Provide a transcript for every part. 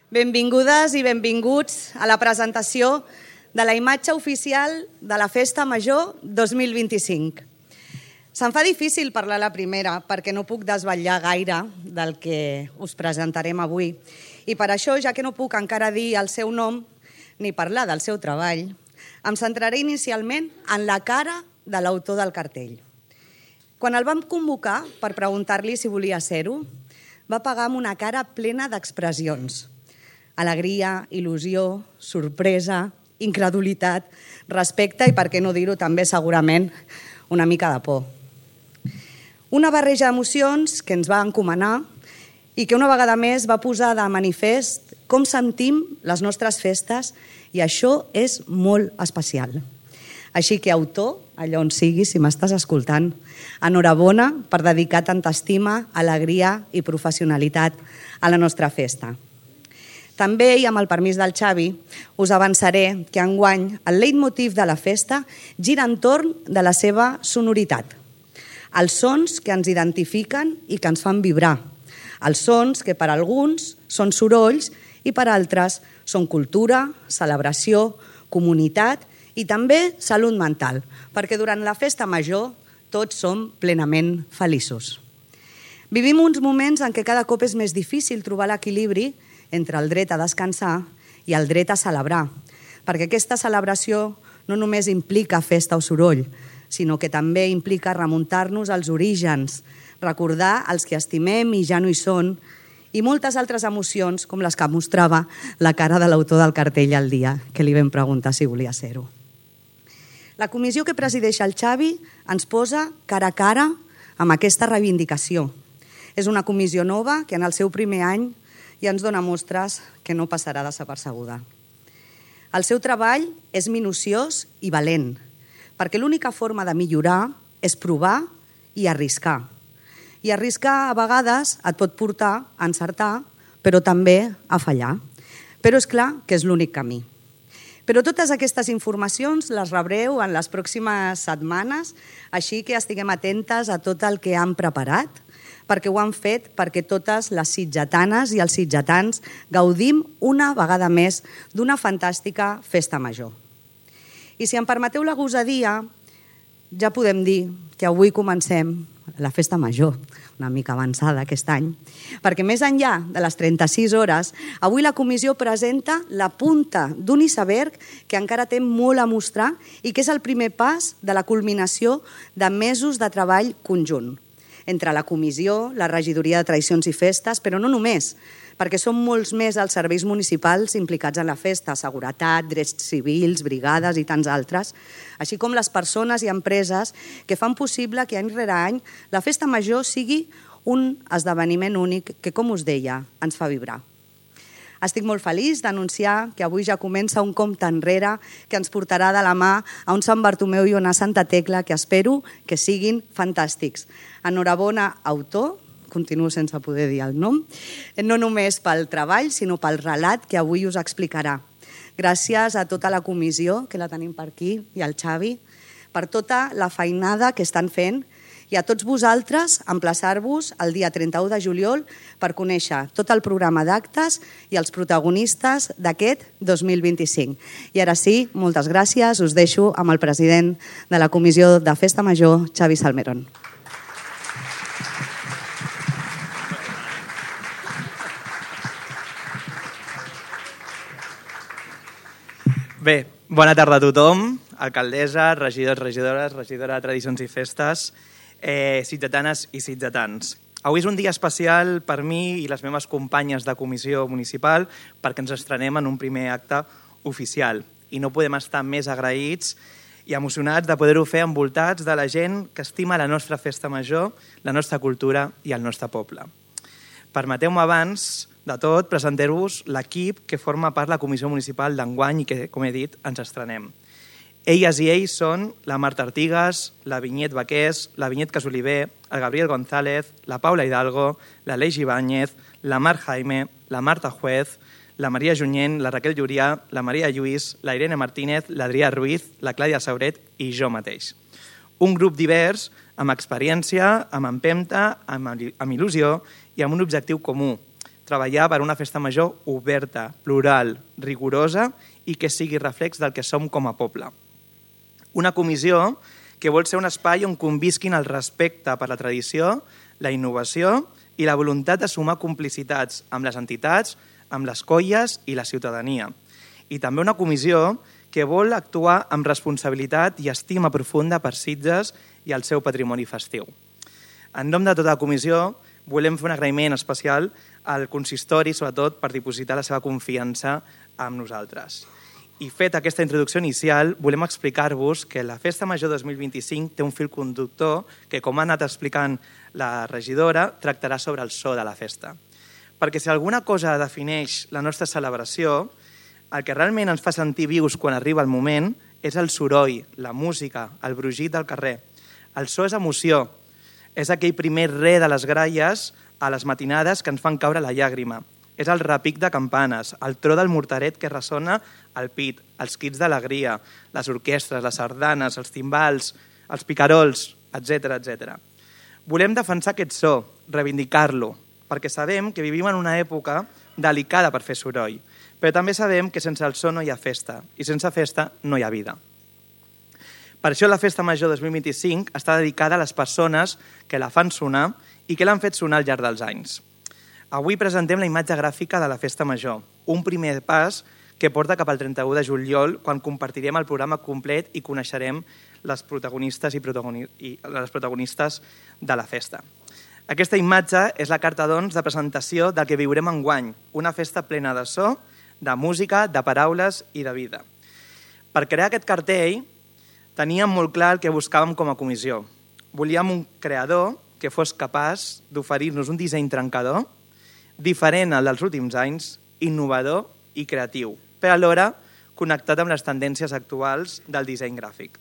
Benvingudes i benvinguts a la presentació de la imatge oficial de la Festa Major 2025. Se'm fa difícil parlar la primera perquè no puc desvetllar gaire del que us presentarem avui. I per això, ja que no puc encara dir el seu nom ni parlar del seu treball, em centraré inicialment en la cara de l'autor del cartell. Quan el vam convocar per preguntar-li si volia ser-ho, va pagar amb una cara plena d'expressions. Alegria, il·lusió, sorpresa, incredulitat, respecte i, per què no dir-ho també, segurament, una mica de por. Una barreja d'emocions que ens va encomanar i que una vegada més va posar de manifest com sentim les nostres festes i això és molt especial. Així que, autor, allà on siguis, si m'estàs escoltant, enhorabona per dedicar tanta estima, alegria i professionalitat a la nostra festa. També, i amb el permís del Xavi, us avançaré que enguany el leitmotiv de la festa gira entorn de la seva sonoritat. Els sons que ens identifiquen i que ens fan vibrar. Els sons que per alguns són sorolls i per altres són cultura, celebració, comunitat i també salut mental, perquè durant la festa major tots som plenament feliços. Vivim uns moments en què cada cop és més difícil trobar l'equilibri entre el dret a descansar i el dret a celebrar, perquè aquesta celebració no només implica festa o soroll, sinó que també implica remuntar-nos als orígens, recordar els que estimem i ja no hi són, i moltes altres emocions com les que mostrava la cara de l'autor del cartell el dia que li vam preguntar si volia ser-ho. La comissió que presideix el Xavi ens posa cara a cara amb aquesta reivindicació. És una comissió nova que en el seu primer any ja ens dona mostres que no passarà desapercebuda. El seu treball és minuciós i valent, perquè l'única forma de millorar és provar i arriscar. I arriscar a vegades et pot portar a encertar, però també a fallar. Però és clar que és l'únic camí. Però totes aquestes informacions les rebreu en les pròximes setmanes, així que estiguem atentes a tot el que han preparat, perquè ho han fet perquè totes les sitgetanes i els sitgetans gaudim una vegada més d'una fantàstica festa major. I si em permeteu la gosadia, ja podem dir que avui comencem la festa major, una mica avançada aquest any, perquè més enllà de les 36 hores, avui la comissió presenta la punta d'un iceberg que encara té molt a mostrar i que és el primer pas de la culminació de mesos de treball conjunt entre la comissió, la regidoria de tradicions i festes, però no només, perquè són molts més els serveis municipals implicats en la festa, seguretat, drets civils, brigades i tants altres, així com les persones i empreses que fan possible que any rere any la festa major sigui un esdeveniment únic que, com us deia, ens fa vibrar. Estic molt feliç d'anunciar que avui ja comença un compte enrere que ens portarà de la mà a un Sant Bartomeu i una Santa Tecla que espero que siguin fantàstics. Enhorabona, autor, continuo sense poder dir el nom, no només pel treball, sinó pel relat que avui us explicarà. Gràcies a tota la comissió, que la tenim per aquí, i al Xavi, per tota la feinada que estan fent, i a tots vosaltres emplaçar-vos el dia 31 de juliol per conèixer tot el programa d'actes i els protagonistes d'aquest 2025. I ara sí, moltes gràcies, us deixo amb el president de la Comissió de Festa Major, Xavi Salmerón. Bé, bona tarda a tothom, alcaldessa, regidors, regidores, regidora de Tradicions i Festes, sitgetanes i sitgetans. Avui és un dia especial per mi i les meves companyes de comissió municipal perquè ens estrenem en un primer acte oficial i no podem estar més agraïts i emocionats de poder-ho fer envoltats de la gent que estima la nostra festa major, la nostra cultura i el nostre poble. Permeteu-me abans de tot presentar-vos l'equip que forma part de la comissió municipal d'enguany i que, com he dit, ens estrenem. Elles i ells són la Marta Artigas, la Vinyet Baqués, la Vinyet Casoliver, el Gabriel González, la Paula Hidalgo, la Leix Ibáñez, la Mar Jaime, la Marta Juez, la Maria Junyent, la Raquel Llurià, la Maria Lluís, la Irene Martínez, l'Adrià Ruiz, la Clàudia Sauret i jo mateix. Un grup divers, amb experiència, amb empenta, amb il·lusió i amb un objectiu comú, treballar per una festa major oberta, plural, rigorosa i que sigui reflex del que som com a poble. Una comissió que vol ser un espai on convisquin el respecte per la tradició, la innovació i la voluntat de sumar complicitats amb les entitats, amb les colles i la ciutadania. I també una comissió que vol actuar amb responsabilitat i estima profunda per Sitges i el seu patrimoni festiu. En nom de tota la comissió, volem fer un agraïment especial al consistori, sobretot per dipositar la seva confiança amb nosaltres. I fet aquesta introducció inicial, volem explicar-vos que la Festa Major 2025 té un fil conductor que, com ha anat explicant la regidora, tractarà sobre el so de la festa. Perquè si alguna cosa defineix la nostra celebració, el que realment ens fa sentir vius quan arriba el moment és el soroll, la música, el brugit del carrer. El so és emoció, és aquell primer re de les gralles a les matinades que ens fan caure la llàgrima. És el repic de campanes, el tro del mortaret que ressona al pit, els crits d'alegria, les orquestres, les sardanes, els timbals, els picarols, etc. Volem defensar aquest so, reivindicar-lo, perquè sabem que vivim en una època delicada per fer soroll, però també sabem que sense el so no hi ha festa, i sense festa no hi ha vida. Per això la Festa Major 2025 està dedicada a les persones que la fan sonar i que l'han fet sonar al llarg dels anys. Avui presentem la imatge gràfica de la Festa Major, un primer pas que porta cap al 31 de juliol, quan compartirem el programa complet i coneixerem les protagonistes i les protagonistes de la festa. Aquesta imatge és la carta doncs de presentació del que viurem enguany, una festa plena de so, de música, de paraules i de vida. Per crear aquest cartell teníem molt clar el que buscàvem com a comissió. Volíem un creador que fos capaç d'oferir-nos un disseny trencador, diferent al dels últims anys, innovador i creatiu, però alhora connectat amb les tendències actuals del disseny gràfic.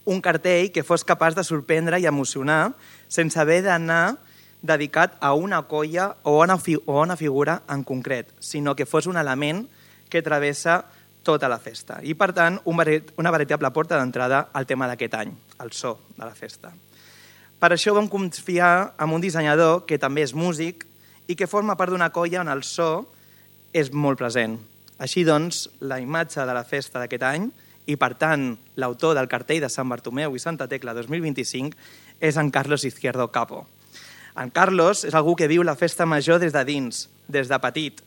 Un cartell que fos capaç de sorprendre i emocionar sense haver d'anar dedicat a una colla o a una figura en concret, sinó que fos un element que travessa tota la festa. I, per tant, una veritable porta d'entrada al tema d'aquest any, el so de la festa. Per això vam confiar en un dissenyador que també és músic i que forma part d'una colla on el so és molt present. Així doncs, la imatge de la festa d'aquest any i, per tant, l'autor del cartell de Sant Bartomeu i Santa Tecla 2025 és en Carlos Izquierdo Capo. En Carlos és algú que viu la festa major des de dins, des de petit.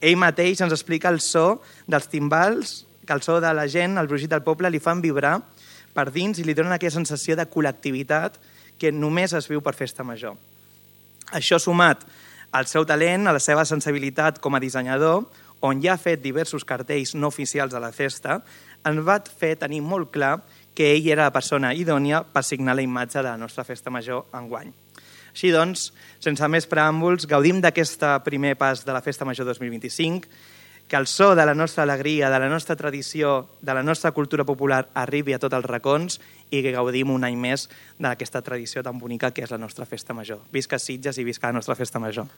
Ell mateix ens explica el so dels timbals, que el so de la gent, el brugit del poble, li fan vibrar per dins i li donen aquella sensació de col·lectivitat que només es viu per festa major. Això sumat al seu talent, a la seva sensibilitat com a dissenyador, on ja ha fet diversos cartells no oficials de la festa, ens va fer tenir molt clar que ell era la persona idònia per signar la imatge de la nostra festa major enguany. Així doncs, sense més preàmbuls, gaudim d'aquest primer pas de la Festa Major 2025, que el so de la nostra alegria, de la nostra tradició, de la nostra cultura popular arribi a tots els racons i que gaudim un any més d'aquesta tradició tan bonica que és la nostra Festa Major. Visca Sitges i visca la nostra Festa Major.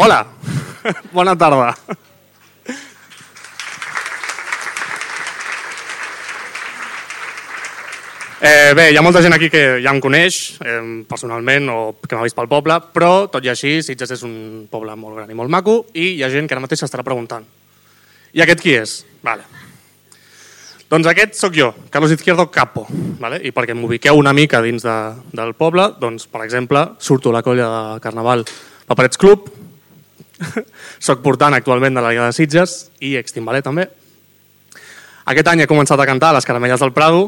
Hola, bona tarda. Bé, hi ha molta gent aquí que ja em coneix personalment o que m'ha vist pel poble, però tot i així Sitges és un poble molt gran i molt maco i hi ha gent que ara mateix s'estarà preguntant. I aquest qui és? Vale. Doncs aquest sóc jo, Carlos Izquierdo Capo. Vale? I perquè m'ubiqueu una mica dins del poble, doncs, per exemple, surto a la colla de carnaval Paperets Club, soc portant actualment de la Liga de Sitges i extimbaler també. Aquest any he començat a cantar a les Caramelles del Prado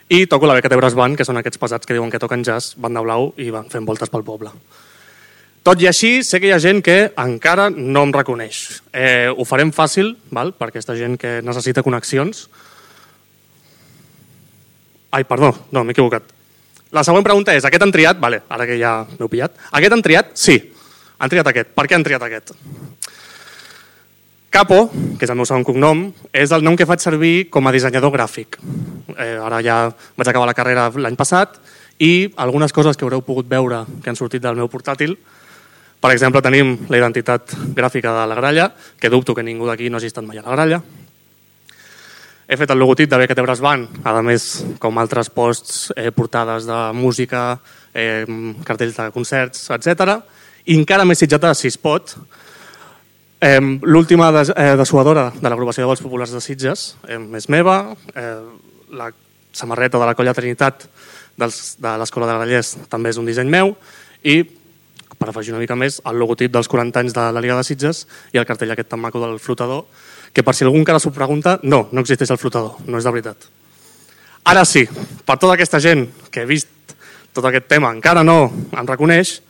i toco la Beca Tebres Band, que són aquests pesats que diuen que toquen jazz, banda blau i van fent voltes pel poble. Tot i així, sé que hi ha gent que encara no em reconeix. Ho farem fàcil, val? Per aquesta gent que necessita connexions. Ai, perdó, no, m'he equivocat. La següent pregunta és, aquest han triat? Vale, ara que ja m'heu pillat. Aquest han triat? Sí. Han triat aquest. Per què han triat aquest? Capo, que és el meu segon cognom, és el nom que faig servir com a dissenyador gràfic. Ara ja vaig acabar la carrera l'any passat i algunes coses que haureu pogut veure que han sortit del meu portàtil. Per exemple, tenim la identitat gràfica de la gralla, que dubto que ningú d'aquí no hagi estat mai a la gralla. He fet el logotip de BKT Brass Band, a més, com altres posts, portades de música, cartells de concerts, etc. I encara més sitjata, si es pot, l'última dessuadora de l'agrupació de vols populars de Sitges és meva, la samarreta de la Colla Trinitat de l'Escola de Grallers també és un disseny meu i, per afegir una mica més, el logotip dels 40 anys de la Liga de Sitges i el cartell aquest tan maco del flotador, que per si algú encara s'ho pregunta, no existeix el flotador, no és de veritat. Ara sí, per tota aquesta gent que he vist tot aquest tema encara no em reconeix,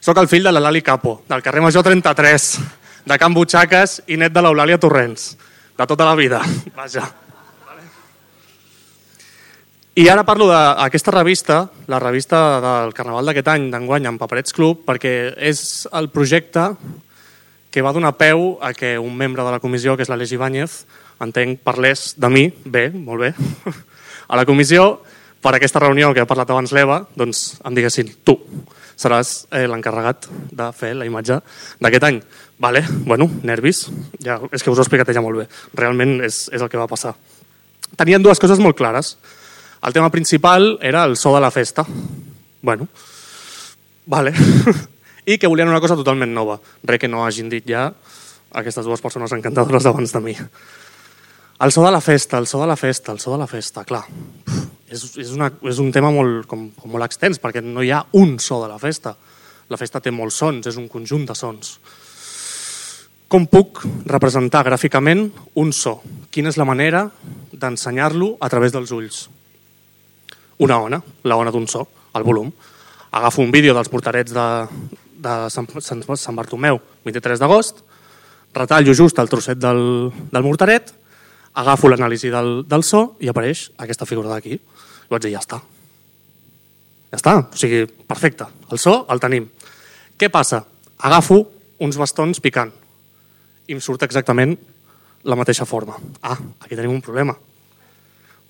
soc el fill de la Lali Capo, del carrer Major 33, de Can Butxaques i net de l'Eulàlia Torrents, de tota la vida. Vaja. I ara parlo d'aquesta revista, la revista del Carnaval d'aquest any, d'enguany, amb Paperets Club, perquè és el projecte que va donar peu a que un membre de la comissió, que és l'Aleix Ibáñez, entenc, parlés de mi, bé, molt bé, a la comissió, per aquesta reunió que ha parlat abans l'Eva, doncs em diguessin, tu seràs l'encarregat de fer la imatge d'aquest any. Vale, bueno, nervis, ja, és que us ho he explicat ja molt bé, realment és el que va passar. Tenien dues coses molt clares. El tema principal era el so de la festa. Bueno, vale. I que volien una cosa totalment nova. Res que no hagin dit ja aquestes dues persones encantadores d'abans de mi. El so de la festa, el so de la festa, el so de la festa, clar. És un tema molt extens, perquè no hi ha un so de la festa. La festa té molts sons, és un conjunt de sons. Com puc representar gràficament un so? Quina és la manera d'ensenyar-lo a través dels ulls? Una ona, la ona d'un so, el volum. Agafo un vídeo dels portarets de Sant Bartomeu, 23 d'agost, retallo just el trosset del mortaret, agafo l'anàlisi del so i apareix aquesta figura d'aquí. I vaig dir, ja està. Ja està, o sigui, perfecte. El so el tenim. Què passa? Agafo uns bastons picant i em surt exactament la mateixa forma. Ah, aquí tenim un problema.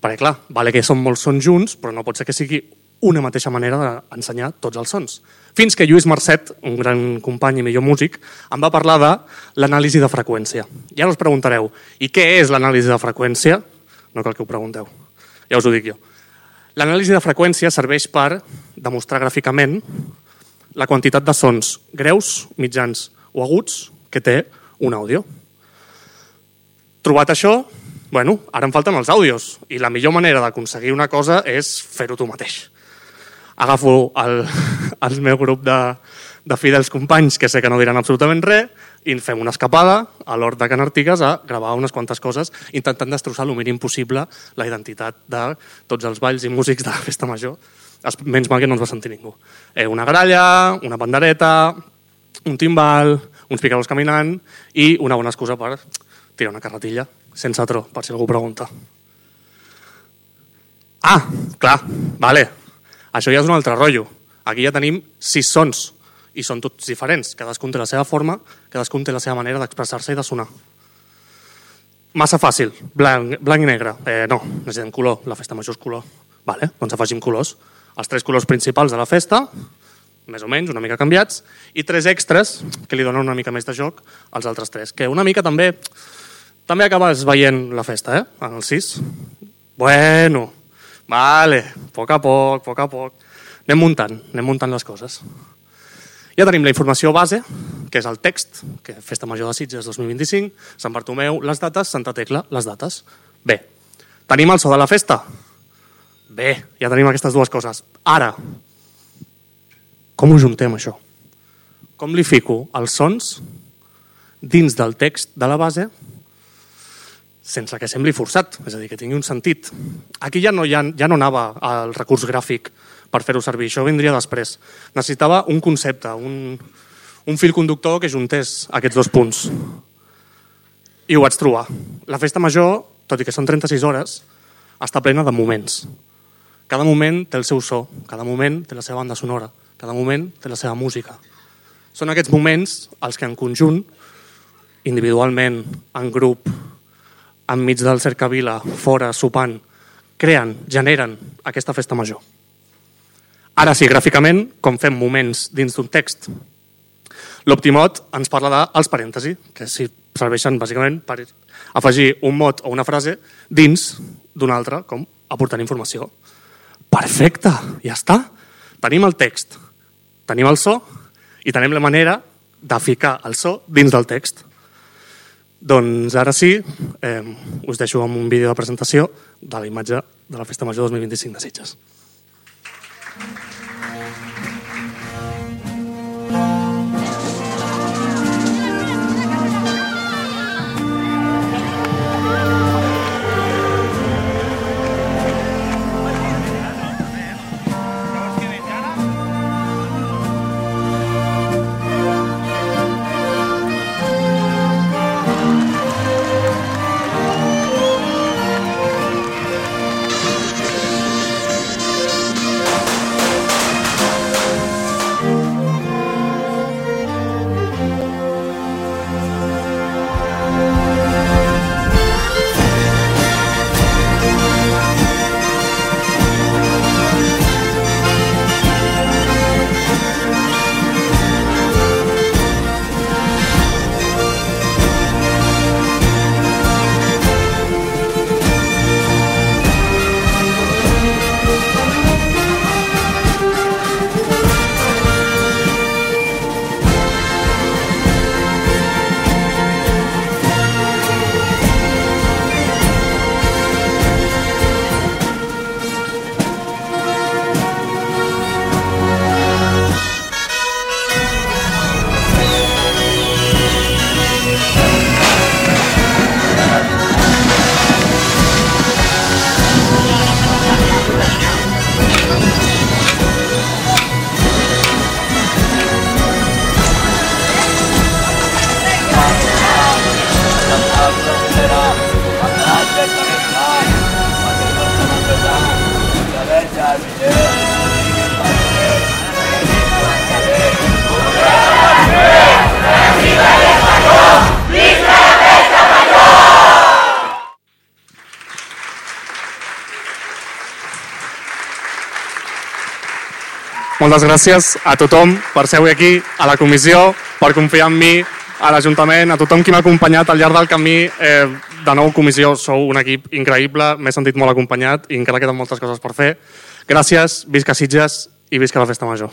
Perquè, clar, vale que són molts sons junts, però no pot ser que sigui una mateixa manera d'ensenyar tots els sons. Fins que Lluís Marcet, un gran company i millor músic, em va parlar de l'anàlisi de freqüència. I ara us preguntareu, i què és l'anàlisi de freqüència? No cal que ho pregunteu, ja us ho dic jo. L'anàlisi de freqüència serveix per demostrar gràficament la quantitat de sons greus, mitjans o aguts que té un àudio. Trobat això, bueno, ara em falten els àudios i la millor manera d'aconseguir una cosa és fer-ho tu mateix. Agafo el meu grup de fidels companys que sé que no diran absolutament res i fem una escapada a l'hort de Can Artigas a gravar unes quantes coses intentant destrossar el mínim possible la identitat de tots els balls i músics de la festa major. Menys mal que no ens va sentir ningú. Una gralla, una pandereta, un timbal, uns picadors caminant i una bona excusa per tirar una carretilla sense tro, per si algú pregunta. Ah, clar, vale. Això ja és un altre rotllo. Aquí ja tenim 6 sons i són tots diferents. Cadascun té la seva forma, cadascun té la seva manera d'expressar-se i de sonar. Massa fàcil, blanc i negre. No, necessitem color, la festa major és color. Vale, doncs afegim colors. Els 3 colors principals de la festa, més o menys, una mica canviats, i 3 extras que li donen una mica més de joc als altres 3, que una mica també acabes veient la festa, en el 6. Bueno, vale, a poc a poc. Anem muntant les coses. Ja tenim la informació base, que és el text, que Festa Major de Sitges 2025, Sant Bartomeu, les dates, Santa Tecla, les dates. Bé, tenim el so de la festa? Bé, ja tenim aquestes dues coses. Ara, com ho juntem, això? Com li fico els sons dins del text de la base sense que sembli forçat, és a dir, que tingui un sentit. Aquí ja no anava al recurs gràfic per fer-ho servir, això vindria després. Necessitava un concepte, un fil conductor que juntés aquests 2 punts. I ho vaig trobar. La festa major, tot i que són 36 hores, està plena de moments. Cada moment té el seu so, cada moment té la seva banda sonora, cada moment té la seva música. Són aquests moments els que en conjunt individualment, en grup, enmig del cercavila, fora, sopant, creen, generen aquesta festa major. Ara sí, gràficament, com fem moments dins d'un text. L'Optimot ens parla dels parèntesi, que serveixen bàsicament per afegir un mot o una frase dins d'una altra, com aportant informació. Perfecte, ja està. Tenim el text, tenim el so i tenim la manera de ficar el so dins del text. Doncs ara sí, us deixo amb un vídeo de presentació de la imatge de la Festa Major 2025 de Sitges. Moltes gràcies a tothom per ser avui aquí, a la comissió, per confiar en mi, a l'Ajuntament, a tothom qui m'ha acompanyat al llarg del camí. De nou, comissió, sou un equip increïble, m'he sentit molt acompanyat i encara queden moltes coses per fer. Gràcies, visca Sitges i visca la Festa Major.